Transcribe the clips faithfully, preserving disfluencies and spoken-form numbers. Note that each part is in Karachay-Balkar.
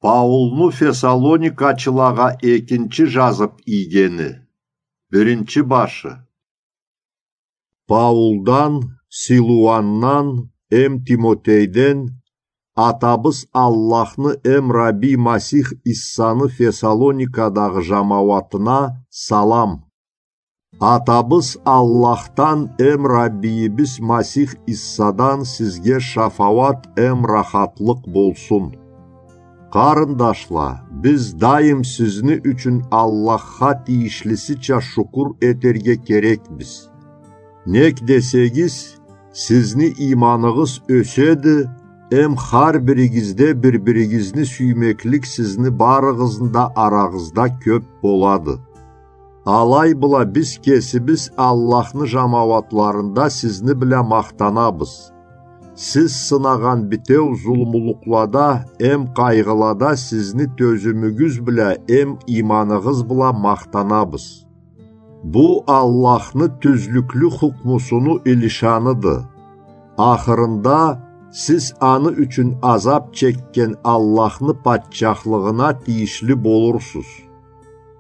Паулну Фессалоникачылагъа экинчи жазып ийгени. Биринчи башы. Паулдан, Силуандан эм Тимотейден Атабыз Аллахны эм Рабби Масих Иссаны Фессалоникадагъы жамауатына салам. Атабыз Аллахдан эм Раббийибиз Масих Иссадан сизге шафауат эм рахатлыкъ болсун. Къарындашла, биз дайым сизни ючюн Аллахха тийишлисича шукур этерге керекбиз. Нек десегиз, сизни ийманыгъыз ёседи, эм хар биригизде бир-биригизни сюймеклик сизни барыгъызны да арагъызда кёп болады. Алай бла биз кесибиз Аллахны жамауатларында сизни бла махтанабыз. Сиз сынагъан битеу зулмулукълада эм къайгъылада сизни тёзюмюгюз бла эм ийманыгъыз бла махтанабыз. Бу Аллахны тюзлюклю хукмусуну илишаныды. Ахырында сиз аны ючюн азап чекген Аллахны патчахлыгъына тийишли болурсуз.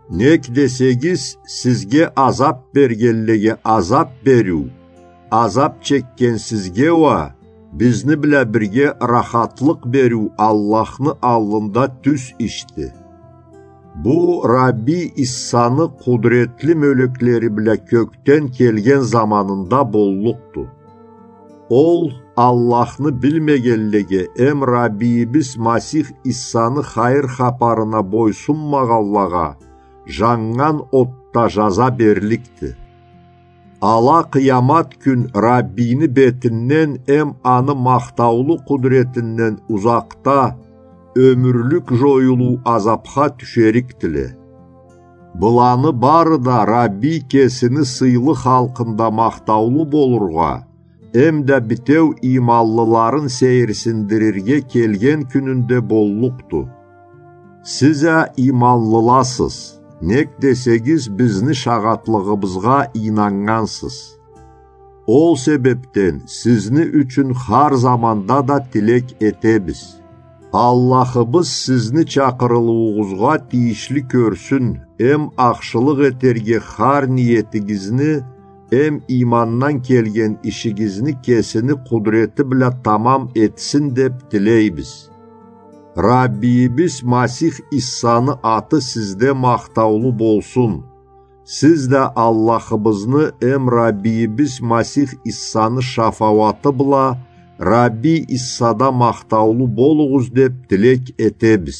Нек десегиз, сизге азап бергенлеге азап бериу, азап чекген сизге уа бизни бла бирге рахатлыкъ бериу Аллахны аллында тюз ишди. Бу Рабби Иссаны къудретли мёлеклери бла кёкден келген заманында боллукъду. Ол Аллахны билмегенлеге эм Раббийибиз Масих Иссаны хайыр хапарына бойсунмагъанлагъа жаннган отда жаза берликди. Ала къыямат кюн Раббийни бетинден эм аны махтаулу къудретинден узакъда ёмюрлюк жоюлуу азапха тюшерикдиле. Быланы бары да Раббий кесини сыйлы халкъында махтаулу болургъа, эм да битеу ийманлыларын сейирсиндирирге келген кюнюнде боллукъду. Сиз а ийманлыласыз, нек десегиз бизни шагъатлыгъыбызгъа ийнаннгансыз. Ол себепден сизни ючюн хар заманда да тилек этебиз. Аллахыбыз сизни чакъырылыуугъузгъа тийишли кёрсюн, эм ахшылыкъ этерге хар ниетигизни, эм иймандан келген ишигизни кесини къудрети бла тамам этсин деп тилейбиз. Раббийибиз Масих Иссаны аты сизде махтаулу болсун. Сиз да Аллахыбызны эм Раббийибиз Масих Иссаны шафауаты бла Рабби Иссада махтаулу болугъуз деп тилек этебиз.